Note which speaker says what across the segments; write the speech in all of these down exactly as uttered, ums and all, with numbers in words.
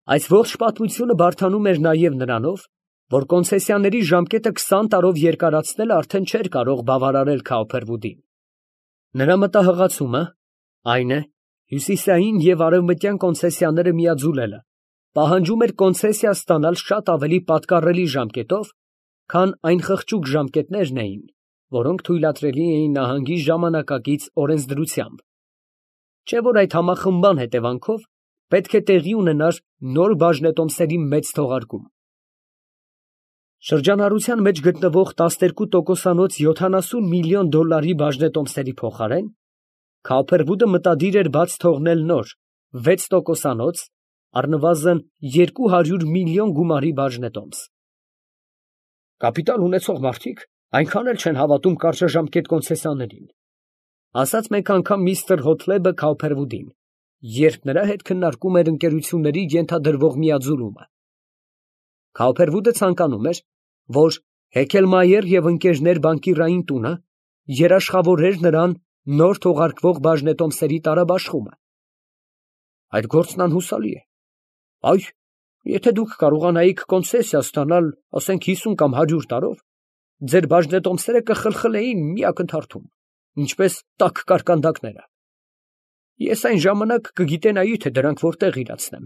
Speaker 1: Այս ողջ պատմությունը բարդանում էր նաև նրանով, որ կոնցեսիաների ժամկետը քսան տարով երկարացնելը արդեն չէր կարող բավարարել Քաուփերվուդին. նրա մտահղացումը այն է, հյուսիսային և արևմտյան կոնցեսիաները միաձուլելը պահանջում էր կոնցեսիա ստանալ շատ ավելի պատկառելի ժամկետով, քան այն խղճուկ ժամկետներն էին, որոնք թույլատրելի էին նահանգի ժամանակակից օրենսդրությամբ, չէ՞ որ այդ համախմբման հետևանքով պետք է տեղի ունենար նոր բաժնետոմսերի մեծ թողարկում։ Շրջանառության մեջ գտնվող տասներկու տոկոսանոց յոթանասուն միլիոն դոլարի բաժնետոմսերի փոխարեն Քաուփերվուդը մտադիր էր բաց թողնել նոր վեց տոկոսանոց, առնվազն երկու հարյուր միլիոն գումարի բաժնետոմս։ «Կապիտալ ունեցող մարդիկ այնքան էլ չեն հավատում կարճաժամկետ կոնցեսիաներին», ասաց մեկ անգամ միստր Հոթլեբը Քաուփերվուդին, երբ նրա հետ քննարկում էր ընկերությունների ենթադրվող միաձուլումը։ Քաուփերվուդը ցանկանում էր, որ Հեքելմայեր և ընկերներ բանկիրային տունը երաշխավորեր նրան նոր թողարկվող բաժնետոմսերի տարաբաշխումը։ «Այդ գործն անհուսալի է։ Այ, եթե դուք կարողանայիք կոնցեսիա ստանալ, ասենք հիսուն կամ հարյուր տարով, ձեր բաժնետոմսերը կխլխլեին մի ակնթարթում, ինչպես տաք կարկանդակները։ Ես այն ժամանակ կգիտենայի, թե դրանք որտեղ իրացնեմ,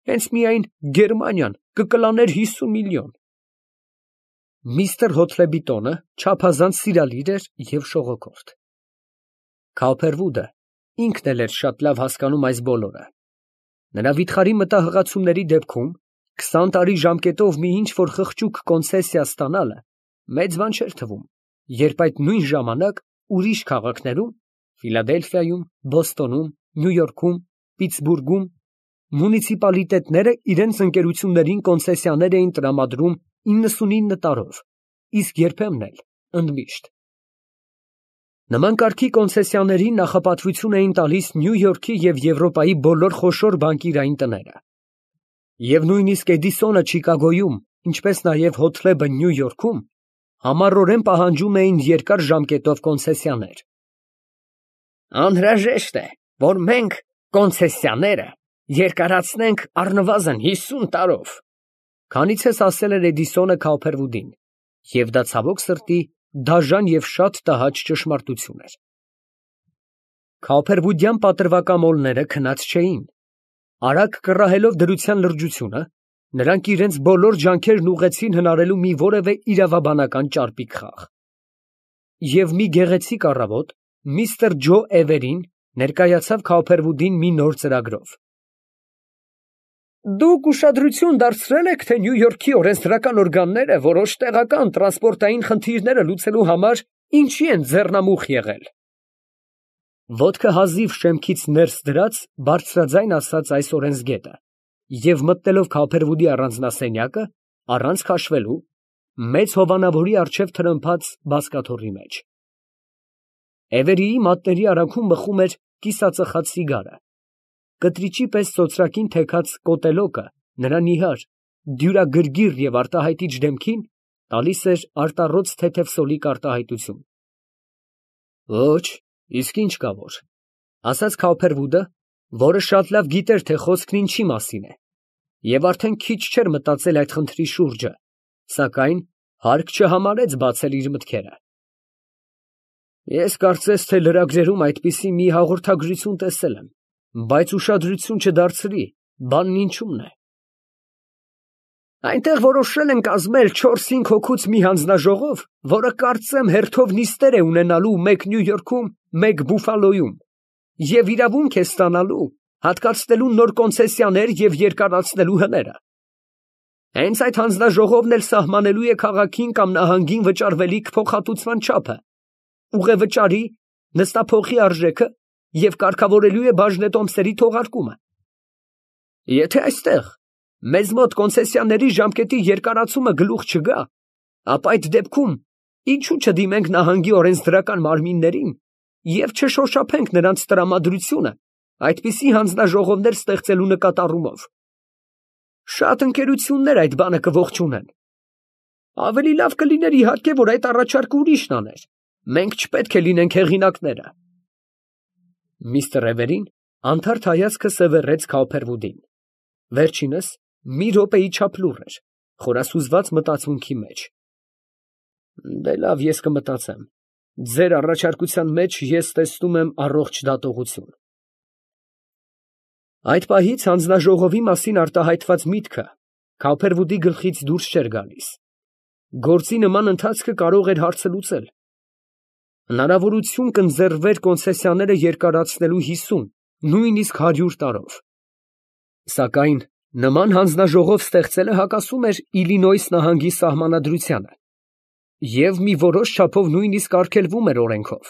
Speaker 1: հենց միայն Գերմանիան կկլաներ հիսուն միլիոն»։ Միստր Հոթլեբի տոնը չափազանց սիրալիր էր և շողոքորթ։ Քաուփերվուդը ինքն էլ էր շատ լավ հասկանում այս բոլորը։ Նրա վիթխարի մտահղացումների դեպքում քսան տարի ժամկետով մի ինչ֊որ խղճուկ կոնցեսիա ստանալը մեծ բան չէր թվում, երբ այդ նույն ժամանակ ուրիշ քաղաքներում՝ Ֆիլադելֆիայում, Բոստոնում, Նյու Յորքում, Պիտսբուրգում, մունիցիպալիտետները իրենց ընկերություններին կոնցեսիաներ էին տրամադրում իննսունինը տարով, իսկ երբեմն էլ ընդմիշտ։ Նման կարգի կոնցեսիաներին նախապատվություն էին տալիս Նյու Յորքի և Եվրոպայի բոլոր խոշոր բանկիրային տները։ Եվ նույնիսկ Էդիսոնը Չիկագոյում, ինչպես նաև Հոթլեբը Նյու Յորքում համառորեն պահանջում էին երկար ժամկետով կոնցեսիաներ։ «Անհրաժեշտ է, որ մենք կոնցեսիաները երկարացնենք առնվազն հիսուն տարով», քանիցս ասել էր Էդիսոնը Քաուփերվուդին, և դա ցավոք սրտի դաժան և շատ տհաճ ճշմարտություն էր։ Քաուփերվուդյան պատրվակամոլները քնած չէին։ Արագ կռահելով դրության լրջությունը, նրանք իրենց բոլոր ջանքերն ուղղեցին հնարելու մի որևէ իրավաբանական ճարպիկ խաղ։ Եվ մի գեղեցիկ առավոտ միստր Ջո Էվերին ներկայացավ Քաուփերվուդին մի նոր ծրագրով։ «Դուք ուշադրություն դարձրե՞լ եք, թե Նյու Յորքի օրենսդրական օրգանները որոշ տեղական տրանսպորտային խնդիրները լուծելու համար ինչի են ձեռնամուխ եղել»։ Ոտքը հազիվ շեմքից ներս դրած բարձրաձայն ասաց այս օրենսգետը և մտնելով Քաուփերվուդի առանձնասենյակը, առանց քաշվելու, մեծ հովանավորի առջև թրմփաց բազկաթոռի մեջ։ Էվերիի մատների արանքում բխում էր կիսածխած սիգարը։ Կտրիճի պես ծոծրակին թեքած կոտելոկը նրա նիհար, դյուրագրգիռ և արտահայտիչ դեմքին տալիս էր արտառոց թեթև սոլիկ արտահայտություն։ «Ոչ, իսկ ինչ կա որ», ֊ ասաց Քաուփերվուդը, որը շատ լավ գիտեր, թե խոսքն ինչի մասին է, և արդեն քիչ չէր մտածել այդ խնդրի շուրջը, սակայն հարկ չհամարեց բացել իր մտքերը։ «Ես կարծես թե լրագրերում այդպիսի մի հաղորդագրություն տեսել եմ, բայց ուշադրություն չդարձրի, բանն ինչումն է։ Այնտեղ որոշել են կազմել չորս֊հինգ հոգուց մի հանձնաժողով, որը կարծեմ հերթով նիստեր է ունենալու մեկ Նյու Յորքում, մեկ Բուֆալոյում, և իրավունք է ստանալու հատկացնելու նոր կոնցեսիաներ և երկարացնելու հները։ Հենց այդ հանձնաժողովն էլ սահմանելու է քաղաքին կամ նահանգին վճարվելիք փոխհատուցման չափը, ուղևճարի, նստափոխի արժեքը և կարգավորելու է բաժնետոմսերի թողարկումը։ Եթե այստեղ մեզ մոտ կոնցեսիաների ժամկետի երկարացումը գլուխ չգա, ապա այդ դեպքում ինչու չդիմենք նահանգի օրենսդրական մարմիններին և չշոշափենք նրանց տրամադրությունը այդպիսի հանձնաժողովներ ստեղծելու նկատառումով։ Շատ ընկերություններ այդ բանը կողջունեն։ Ավելի լավ կլիներ, իհարկե, որ այդ առաջարկը ուրիշն աներ, մենք չպետք է լինենք հեղինակները»։ Միստր Էվերին անթարթ հայացքը սևեռեց Քաուփերվուդին։ Վերջինս մի րոպեի չափ լուռ էր, խորասուզված մտածմունքի մեջ։ Դե լավ, ես կմտածեմ, ձեր առաջարկության մեջ ես տեսնում եմ առողջ դատողություն։ Այդ պահից հանձնաժողովի մասին արտահայտված միտքը Քոփերվուդի գլխից դուրս չէր գալիս։ Գործի նման ընթացքը կարող էր հարցը լուծել։ Հնարավորություն կընձեռվեր կոնցեսիաները երկարացնելու հիսուն, նույնիսկ հարյուր տարով։ Սակայն նման հանձնաժողով ստեղծելը հակասում էր Իլինոյս նահանգի սահմանադրությանը և մի որոշ չափով նույնիսկ արգելվում էր օրենքով։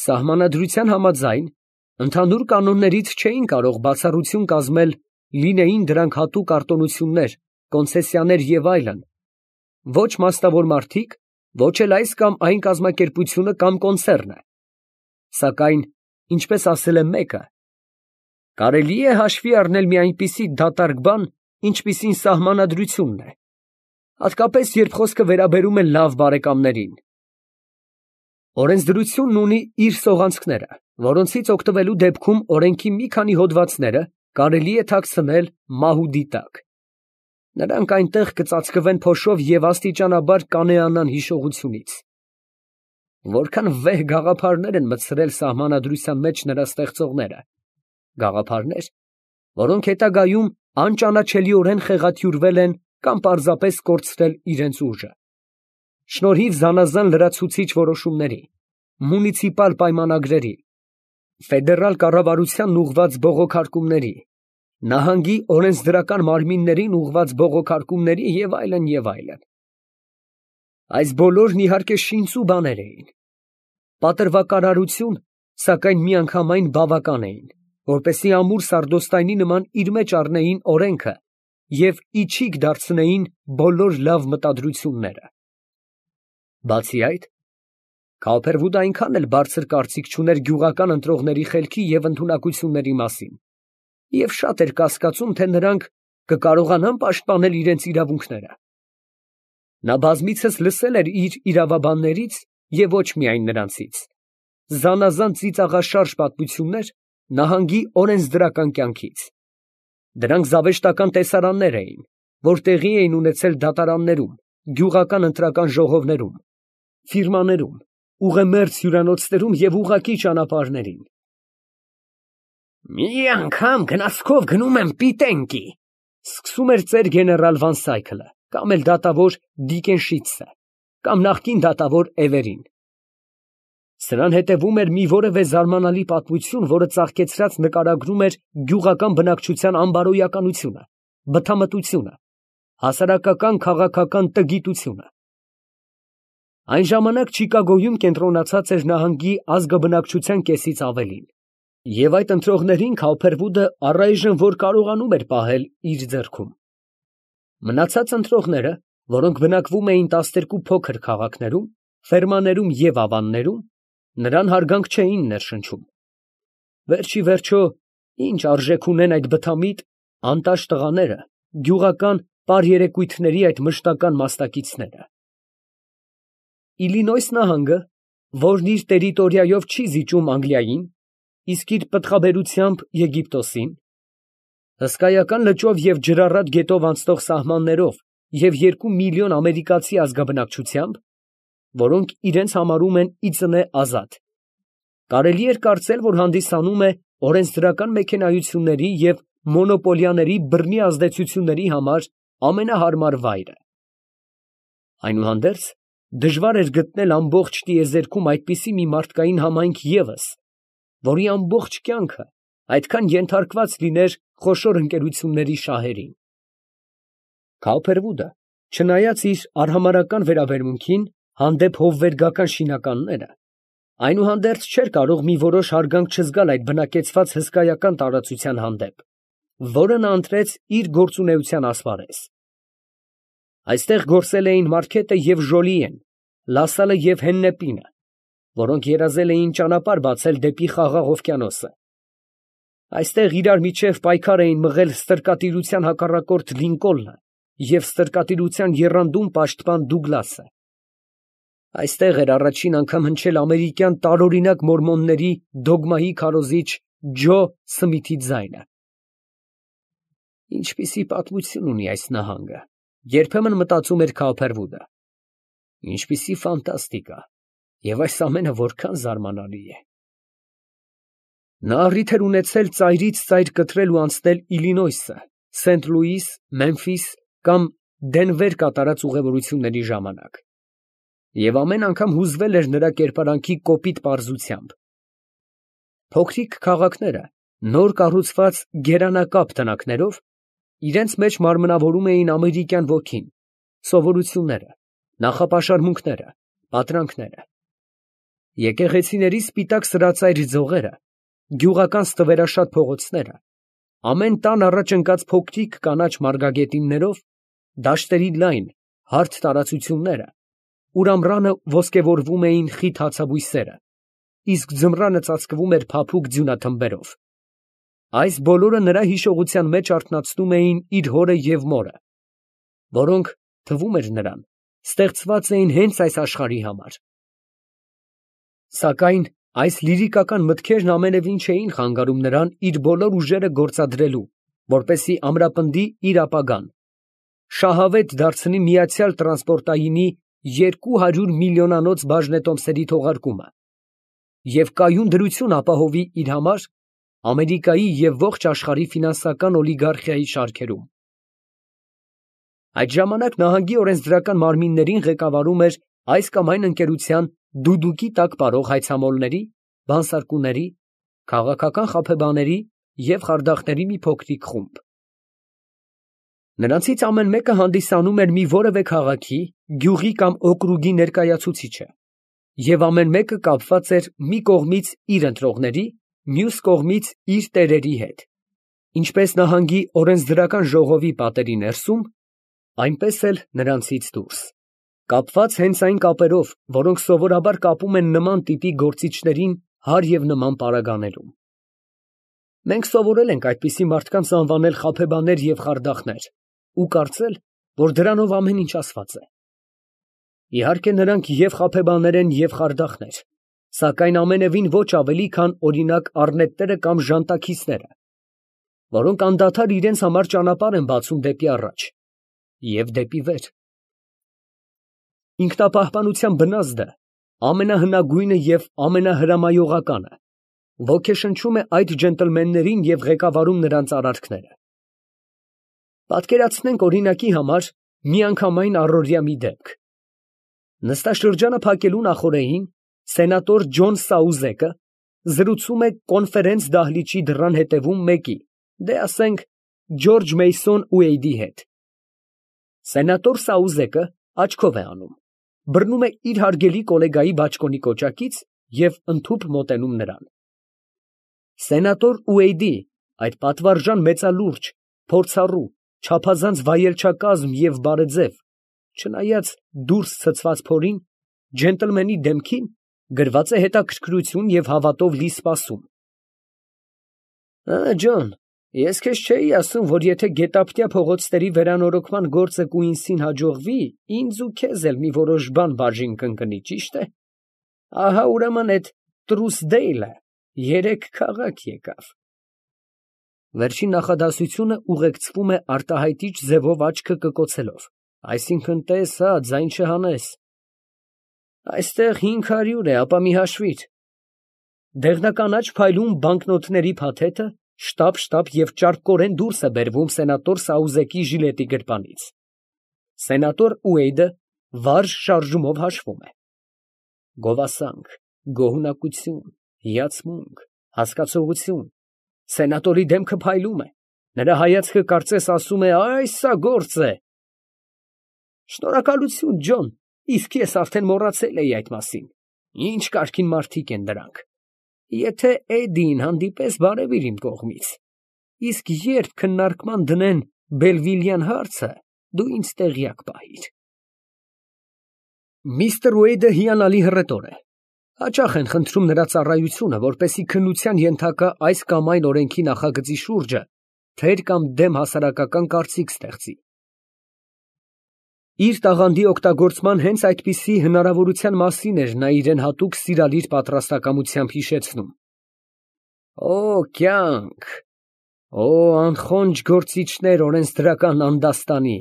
Speaker 1: Սահմանադրության համաձայն ընդհանուր կանոններից չէին կարող բացառություն կազմել, լինեին դրանք հատուկ արտոնություններ, կոնցեսիաներ և այլն, ոչ մասնավոր մարդիկ, ոչ էլ այս կամ այն կազմակերպությունը կամ կոնցեռնը։ Սակայն, ինչպես ասել է մեկը, կարելի է հաշվի առնել մի այնպիսի դատարկ բան, ինչպիսին սահմանադրությունն է, հատկապես երբ խոսքը վերաբերում է լավ բարեկամներին։ Օրենսդրությունն ունի իր սողանցքները, որոնցից օգտվելու դեպքում օրենքի մի քանի հոդվածները կարելի է թաքցնել մահուդի տակ։ Նրանք այնտեղ կծածկվեն փոշով և աստիճանաբար կանեանան հիշողությունից։ Որքան վեհ գաղափարներ են մտցրել սահմանադրության մեջ նրա ստեղծողները, գաղափարներ, որոնք հետագայում անճանաչելիորեն խեղաթյուրվել են կամ պարզապես կորցրել իրենց ուժը։ Շնորհիվ զանազան լրացուցիչ որոշումների, մունիցիպալ պայմանագրերի, ֆեդերալ կառավարությանն ուղղված բողոքարկումների, նահանգի օրենսդրական մարմիններին ուղղված բողոքարկումների և այլն և այլն։ Այս բոլորն իհարկե շինծու բաներ էին։ Պատրվակարարություն, սակայն միանգամայն բավական էին, որպեսզի ամուր սարդոստայնի նման իր մեջ առնեին օրենքը և իչիք դարձնեին բոլոր լավ մտադրությունները։ Բացի այդ, Քոփերվուդը այնքան էլ բարձր կարծիք չուներ գյուղական ընտրողների խելքի և ընդունակությունների մասին և շատ էր կասկածում, թե նրանք կկարողանան պաշտպանել իրենց իրավունքները։ Նա բազմիցս լսել էր իր իրավաբաններից և ոչ միայն նրանցից զանազան ծիծաղաշարժ պատմություններ նահանգի օրենսդրական կյանքից։ Դրանք զավեշտական տեսարաններ էին, որ տեղի էին ունեցել դատարաններում, գյուղական ընտրական ժողովներում, ֆիրմաներում, ուղեմերձ հյուրանոցներում և ուղղակի ճանապարհներին։ «Մի անգամ գնացքով գնում եմ Պիտենկի», սկսում էր ծեր գեներալ Վան Սայքլը, կամ էլ դատավոր Դիկենշիցը, կամ նախկին դատավոր Էվերին։ Սրան հետևում էր մի որևէ զարմանալի պատմություն, որը ծաղկեցրած նկարագրում էր գյուղական բնակչության անբարոյականությունը, բթամտությունը, հասարակական քաղաքական տգիտությունը։ Այն ժամանակ Չիկագոյում կենտրոնացած էր նահանգի ազգաբնակչության կեսից ավելին, և այդ ընտրողներին Քոփերվուդը առայժմ որ կարողանում էր պահել իր ձեռքում։ Մնացած ընտրողները, որոնք բնակվում էին տասներկու փոքր քաղաքներում, ֆերմաներում և ավաններում, նրան հարգանք չէին ներշնչում։ Վերջիվերջո, ինչ արժեք ունեն այդ բթամիտ, անտաշ տղաները, գյուղական պարերեկույթների այդ մշտական մասնակիցները։ Իլինոյս նահանգը, որն իր տերիտորիայով չի զիջում Անգլիային, իսկ իր պտղաբերությամբ Եգիպտոսին, հսկայական լճով և ջրառատ գետով անցնող սահմաններով և երկու միլիոն ամերիկացի ազգաբնակչությամբ, որոնք իրենց համարում են ի ծնե ազատ, կարելի էր կարծել, որ հանդիսանում է օրենսդրական մեքենայությունների և մոնոպոլիաների բռնի ազդեցությունների համար ամենահարմար վայրը։ Այնուհանդերձ, դժվար էր գտնել ամբողջ տիեզերքում այդպիսի մի մարդկային համայնք ևս, որի ամբողջ կյանքը այդքան ենթարկված լիներ խոշոր ընկերությունների շահերին։ Քոփերվուդը, չնայած իր արհամարհական վերաբերմունքին հանդեպ հովվերգական շինականները, այնուհանդերձ չէր կարող մի որոշ հարգանք չզգալ այդ բնակեցված հսկայական տարածության հանդեպ, որը նա ընտրեց իր գործունեության ասպարեզ։ Այստեղ գործել էին Մարքետը և Ժոլիեն, Լասալը և Հեննեպինը, որոնք երազել էին ճանապարհ բացել դեպի Խաղաղ օվկիանոսը։ Այստեղ իրար միջև պայքար էին մղել ստրկատիրության հակառակորդ Լինկոլնը և ստրկատիրության եռանդուն պաշտպան Դուգլասը։ Այստեղ էր առաջին անգամ հնչել ամերիկյան տարօրինակ մորմոնների դոգմայի քարոզիչ Ջո Սմիթի ձայնը։ Ինչպիսի պատմություն ունի այս նահանգը, երբեմն մտածում էր Քոփերվուդը։ Ինչպիսի ֆանտաստիկա, եւ այս ամենը որքան զարմանալի է։ Նա առիթ էր ունեցել ծայրից ծայր կտրել ու անցնել Իլինոյսը, Սենթ Լուիս, Մեմֆիս կամ Դենվեր կատարած ուղևորությունների ժամանակ, եւ ամեն անգամ հուզվել էր նրա կերպարանքի կոպիտ պարզությամբ։ Փոքրիկ քաղաքները, նոր կառուցված գերանակապ տնակներով, իրենց մեջ մարմնավորում էին ամերիկյան ոգին, սովորությունները, նախապաշարմունքները, պատրանքները։ Եկեղեցիների սպիտակ սրածայր ձողերը, գյուղական ստվերաշատ փողոցները, ամեն տան առաջ ընկած փոքրիկ կանաչ մարգագետիններով, դաշտերի լայն, հարթ տարածությունները, ուր ամռանը ոսկեվորվում էին խիտ հացաբույսերը, իսկ ձմռանը ծածկվում էր փափուկ ձյունաթմբերով։ Այս բոլորը նրա հիշողության մեջ արթնացնում էին իր հորը և մորը, որոնք, թվում էր նրան, ստեղծված էին հենց այս աշխարհի համար։ Սակայն այս լիրիկական մտքերն ամենևին չէին խանգարում նրան իր բոլոր ուժերը գործադրելու, որպեսզի ամրապնդի իր ապագան, շահավետ դարձնի միացյալ տրանսպորտայինի երկու հարյուր միլիոնանոց բաժնետոմսերի թողարկումը և կայուն դրություն ապահովի իր համար Ամերիկայի և ողջ աշխարհի ֆինանսական օլիգարխիայի շարքերում։ Այդ ժամանակ նահանգի օրենսդրական մարմիններին ղեկավարում էր այս կամ այն ընկերության դուդուկի տակ ապրող հայցամոլների, բանսարկուների, քաղաքական խաբեբաների և խարդախների մի փոքրիկ խումբ։ Նրանցից ամեն մեկը հանդիսանում էր մի որևէ քաղաքի, գյուղի կամ օկրուգի ներկայացուցիչը, և ամեն մեկը կապված էր մի կողմից իր ընտրողների, մյուս կողմից իր տերերի հետ, ինչպես նահանգի օրենսդրական ժողովի պատերի ներսում, այնպես էլ նրանցից դուրս, կապված հենց այն կապերով, որոնք սովորաբար կապում են նման տիպի գործիչներին հարև և նման պարագաներում։ Մենք սովորել ենք այդպիսի մարդկանց անվանել խաբեբաներ և խարդախներ ու կարծել, որ դրանով ամեն ինչ ասված է։ Իհարկե, նրանք և խաբեբաներ են, և խարդախներ, սակայն ամենևին ոչ ավելի, քան օրինակ առնետները կամ ժանտաքիսները, որոնք անդադար իրենց համար ճանապարհ են բացում դեպի առաջ և դեպի վեր։ Ինքնապահպանության բնազդը, ամենահնագույնը և ամենահրամայողականը, ոգեշնչում է այդ ջենտլմեններին և ղեկավարում նրանց արարքները։ Պատկերացնենք օրինակի համար միանգամայն առօրյա մի դեպք։ Նստաշրջանը փակելու նախօրեին սենատոր Ջոն Սաուզեկը զրուցում է կոնֆերենց դահլիճի դռան հետևում մեկի, դե ասենք Ջորջ Մեյսոն Ուեյդի հետ։ Սենատոր Սաուզեկը աչքով է անում, բռնում է իր հարգելի կոլեգայի բաճկոնի կոճակից և ընդհուպ մոտենում նրան։ Սենատոր Ուեյդի այդ պատվարժան մեծալուրջ, փորձառու, չափազանց վայելչակազմ և բարեձև, չնայած դուրս ցցված փորին, ջենտլմենի դեմքին գրված է հետաքրքրություն և հավատով լի սպասում։ Ա, Ջոն, ես քեզ չէի ասում, որ եթե գետափնյա փողոցների վերանորոգման գործը Կուինսին հաջողվի, ինձ ու քեզ էլ մի որոշ բան բաժին կընկնի, ճիշտ է։ Ահա ուրեմն էդ Տրուսդեյլը երեք քաղաք եկավ։ Վերջին նախադասությունը ուղեկցվում է արտահայտիչ ձևով աչքը կկոցելով, այսինքն տես հա, ձայն չհանես։ Այստեղ հինգ հարյուր է, ապա մի հաշվիր։ Դեղնականաչ փայլուն բանկնոտների փաթեթը շտապ֊շտապ և ճարպկորեն դուրս է բերվում սենատոր Սաուզեկի ժիլետի գրպանից։ Սենատոր Ուեյդը վարժ շարժումով հաշվում է։ Գովասանք, գոհունակություն, հիացմունք, հասկացողություն, սենատորի դեմքը փայլում է, նրա հայացքը կարծես ասում է, այս սա գործ է։ Շնորհակալություն, Ջոն, իսկ ես արդեն մոռացել էի այդ մասին, ինչ կարգին մարդիկ են դրանք։ Եթե Էդդիին հանդիպես, բարևիր իմ կողմից, իսկ երբ քննարկման դնեն Բելվիլյան հարցը, դու ինձ տեղյակ պահիր։ Միսթր Ուեյդը հիանալի հռետոր է, հաճախ են խնդրում նրա ծառայությունը, որպեսզի քննության ենթակա այս կամ այն օրենքի նախագծի շուրջը թեր կամ դեմ հասարակական կարծիք ստեղծի։ Իր տաղանդի օգտագործման հենց այդպիսի հնարավորության մասին էր նա իրեն հատուկ սիրալիր պատրաստակամությամբ հիշեցնում։ Օ, կյանք, Օ անխոնջ գործիչներ օրենսդրական անդաստանի,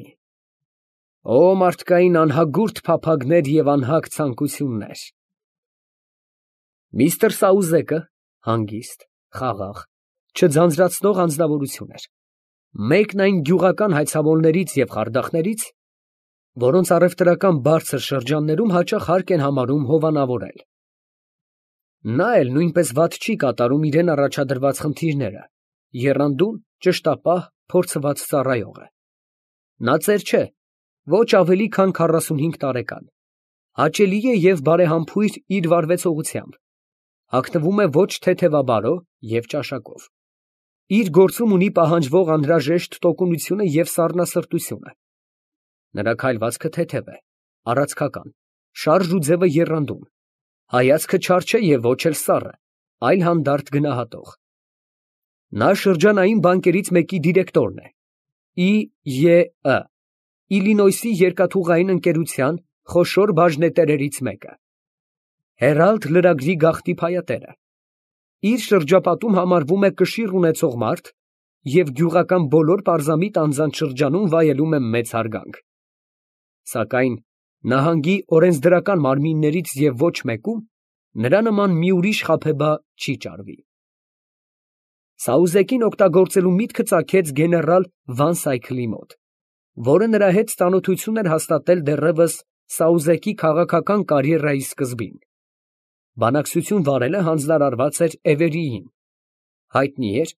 Speaker 1: օ մարդկային անհագուրդ փափագներ և անհագ ցանկություններ։ Միստր Սաուզեկը հանգիստ, խաղաղ, չձանձրացնող անձնավորություն էր, մեկն այն գյուղական հայցավորներից և խարդախներից, որոնց առևտրական բարձր շրջաններում հաճախ հարկ են համարում հովանավորել։ Նա էլ նույնպես վատ չի կատարում իրան առաջադրված խնդիրները, եռանդուն, ճշտապահ, փորձված ծառայող է։ Նա ծեր չէ, ոչ ավելի քան քառասունհինգ տարեկան, հաճելի է և բարեհամբույր իր վարվեցողությամբ, հագնվում է ոչ թեթևաբարո և ճաշակով, իր գործում ունի պահանջվող անհրաժեշտ տոկունությունը և սառնասրտությունը։ Նրա քայլվածքը թեթև է, առացքական, շարժ ու ձևը եռանդուն, հայացքը չար չէ և ոչ էլ սառը, այլ հանդարտ գնահատող։ Նա շրջանային բանկերից մեկի դիրեկտորն է, Ի Ե Î Իլինոյսի երկաթուղային ընկերության խոշոր բաժնետերերից մեկը, Հերալդ լրագրի գաղտնի փայատերը, իր շրջապատում համարվում է կշիռ ունեցող մարդ և գյուղական բոլոր պարզամիտ անձանց շրջանում վայելում է մեծ հարգանք, սակայն նահանգի օրենսդրական մարմիններից և ոչ մեկում նրա նման մի ուրիշ խաբեբա չի ճարվի։ Սաուզեկին օգտագործելու միտքը ծագեց գեներալ Վանսայքլի մոտ, որը նրա հետ ծանոթություն էր հաստատել դեռևս Սաուզեկի քաղաքական կարիերայի սկզբին։ Բանակցություն վարելը հանձնարարված էր Էվերիին։ Հայտնի էր,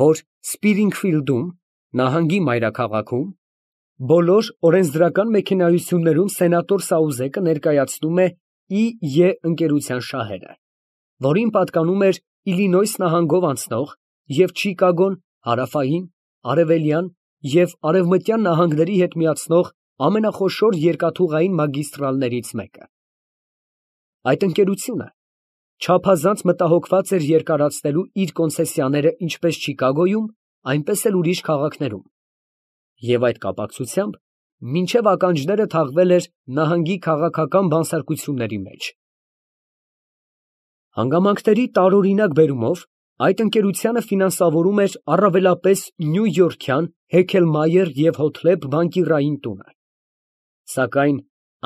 Speaker 1: որ Սպիրինգֆիլդում, նահանգի մայրաքաղաքում, բոլոր օրենսդրական մեքենայություններում սենատոր Սաուզեկը ներկայացնում է Ի Ե ընկերության շահերը, որին պատկանում էր Իլինոյս նահանգով անցնող և Չիկագոն, հարավային, արևելյան և արևմտյան նահանգների հետ միացնող ամենախոշոր երկաթուղային մագիստրալներից մեկը։ Այդ ընկերությունը չափազանց մտահոգված էր երկարացնելու իր կոնցեսիաները ինչպես Չիկագոյում, այնպես էլ ուրիշ քաղաքներում, և այդ կապակցությամբ մինչև ականջները թաղվել էր նահանգի քաղաքական բանսարկությունների մեջ։ Հանգամանքների տարօրինակ բերումով այդ ընկերությանը ֆինանսավորում էր առավելապես նյույորքյան Հեքելմայեր և Հոթլեբ բանկիրային տունը, սակայն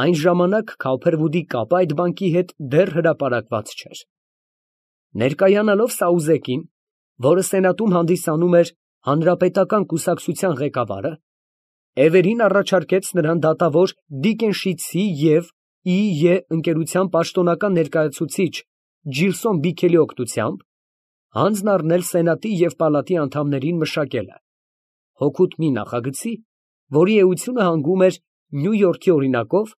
Speaker 1: այն ժամանակ Քոուփերվուդի կապը այդ բանկի հետ դեռ հրապարակված չէր։ Ներկայանալով Սաուզեկին, որը սենատում հանդիսանում էր հանրապետական կուսակցության ղեկավարը, Էվերին առաջարկեց նրան դատավոր Դիկենշիցի և Ի Ե ընկերության պաշտոնական ներկայացուցիչ Ջիլսոն Բիքելի օգնությամբ հանձն առնել սենատի և պալատի անդամներին մշակելը, հօգուտ մի նախագծի, որի էությունը հանգում էր Նյույորքի օրինակով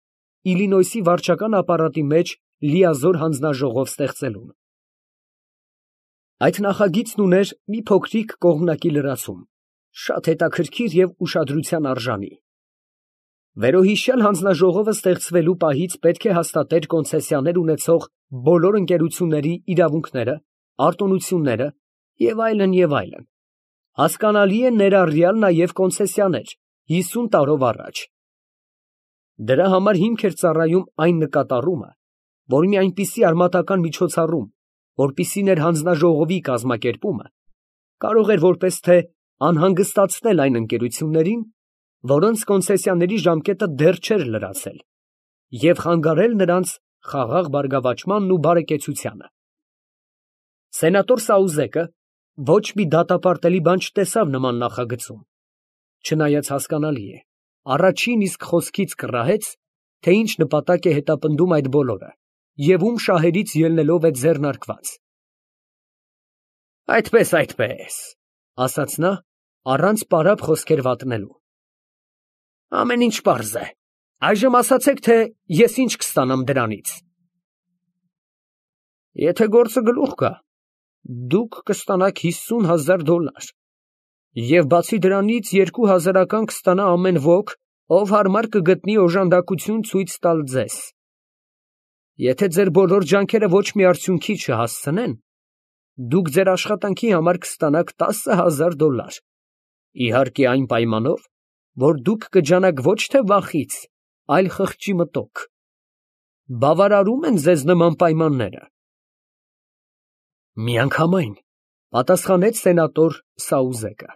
Speaker 1: Իլինոյսի վարչական ապարատի մեջ լիազոր հանձնաժողով ստեղծելուն։ Այդ նախագիծն ուներ մի փոքրիկ կողմնակի լրացում, շատ հետաքրքիր և ուշադրության արժանի։ Վերոհիշյալ հանձնաժողովը ստեղծվելու պահից պետք է հաստատեր կոնցեսիաներ ունեցող բոլոր ընկերությունների իրավունքները, արտոնությունները և այլն, և այլն, հասկանալի է ներառյալ նաև կոնցեսիաներ հիսուն տարով առաջ։ Դրա համար հիմք էր ծառայում այն նկատառումը, որ մի այնպիսի արմատական միջոցառում, որպիսին էր հանձնաժողովի կազմակերպումը, կարող էր որպես թե անհանգստացնել այն ընկերություններին, որոնց կոնցեսիաների ժամկետը դեռ չէր լրացել, և խանգարել նրանց խաղաղ բարգավաճմանն ու բարեկեցությանը։ Սենատոր Սաուզեկը ոչ մի դատապարտելի բան չտեսավ նման նախագծում, չնայած հասկանալի է, առաջին իսկ խոսքից կռահեց, թե ինչ նպատակ է հետապնդում այդ բոլորը և ում շահերից ելնելով է ձեռնարկված։ Այդպես, այդպես, ֊ ասաց նա, առանց պարապ խոսքեր վատնելու, ֊ ամեն ինչ պարզ է, այժմ ասացեք, թե ես ինչ կստանամ դրանից։ Եթե գործը գլուխ գա, դուք կստանաք հիսուն հազար դոլար և բացի դրանից երկու հազարական կստանա ամեն ոք, ով հարմար կգտնի օժանդակություն ցույց տալ ձեզ։ Եթե ձեր բոլոր ջանքերը ոչ մի արդյունքի չհասցնեն, դուք ձեր աշխատանքի համար կստանաք տասը հազար դոլար, իհարկե այն պայմանով, որ դուք կջանաք ոչ թե վախից, այլ խղճի մտոք։ Բավարարո՞ւմ են ձեզ նման պայմանները։ Միանգամայն, Պատասխանեց սենատոր Սաուզեկը։